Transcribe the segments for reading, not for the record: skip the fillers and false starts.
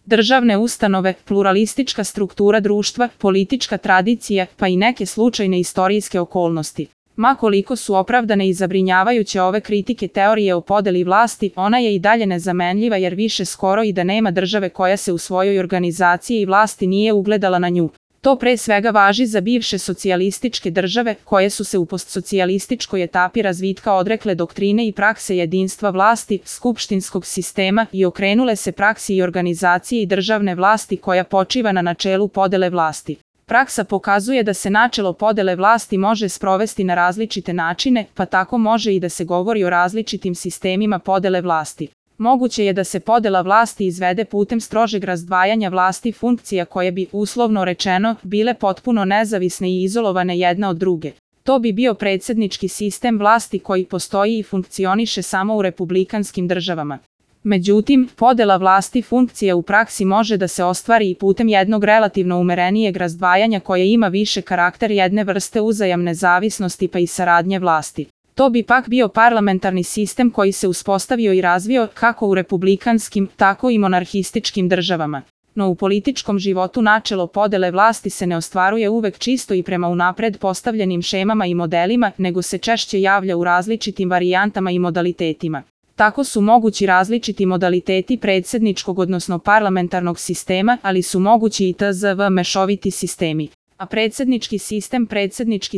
državne ustanove, pluralistička struktura društva, politička tradicija, pa i neke slučajne istorijske okolnosti. Ma koliko su opravdane i zabrinjavajuće ove kritike teorije o podeli vlasti, ona je i dalje nezamenljiva jer više skoro i da nema države koja se u svojoj organizaciji i vlasti nije ugledala na nju. To pre svega važi za bivše socijalističke države, koje su se u postsocijalističkoj etapi razvitka odrekle doktrine i prakse jedinstva vlasti, skupštinskog sistema i okrenule se praksi i organizaciji državne vlasti koja počiva na načelu podele vlasti. Praksa pokazuje da se načelo podele vlasti može sprovesti na različite načine, pa tako može i da se govori o različitim sistemima podele vlasti. Moguće je da se podela vlasti izvede putem strožeg razdvajanja vlasti funkcija koje bi, uslovno rečeno, bile potpuno nezavisne i izolovane jedna od druge. To bi bio predsjednički sistem vlasti koji postoji i funkcioniše samo u republikanskim državama. Međutim, podela vlasti funkcija u praksi može da se ostvari i putem jednog relativno umerenijeg razdvajanja koje ima više karakter jedne vrste uzajamne zavisnosti pa i saradnje vlasti. To bi pak bio parlamentarni sistem koji se uspostavio i razvio kako u republikanskim, tako i monarhističkim državama. No u političkom životu načelo podele vlasti se ne ostvaruje uvek čisto i prema unapred postavljenim šemama i modelima, nego se češće javlja u različitim varijantama i modalitetima. Tako su mogući različiti modaliteti predsjedničkog odnosno parlamentarnog sistema, ali su mogući i tzv. Mešoviti sistemi. A predsjednički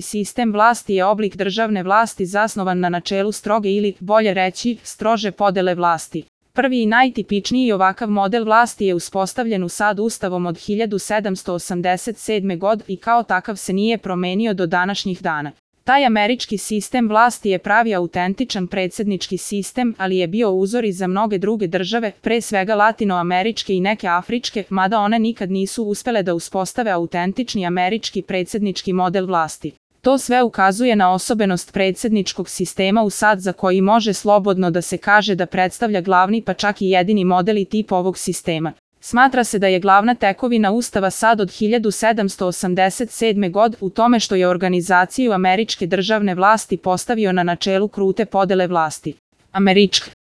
sistem vlasti je oblik državne vlasti zasnovan na načelu stroge ili, bolje reći, strože podele vlasti. Prvi i najtipičniji ovakav model vlasti je uspostavljen u SAD Ustavom od 1787. godine i kao takav se nije promenio do današnjih dana. Taj američki sistem vlasti je pravi autentičan predsjednički sistem, ali je bio uzor i za mnoge druge države, pre svega latinoameričke i neke afričke, mada one nikad nisu uspele da uspostave autentični američki predsjednički model vlasti. To sve ukazuje na osobenost predsjedničkog sistema u SAD za koji može slobodno da se kaže da predstavlja glavni pa čak i jedini model i tip ovog sistema. Smatra se da je glavna tekovina Ustava SAD od 1787. godine u tome što je organizaciju američke državne vlasti postavio na načelu krute podele vlasti. Američka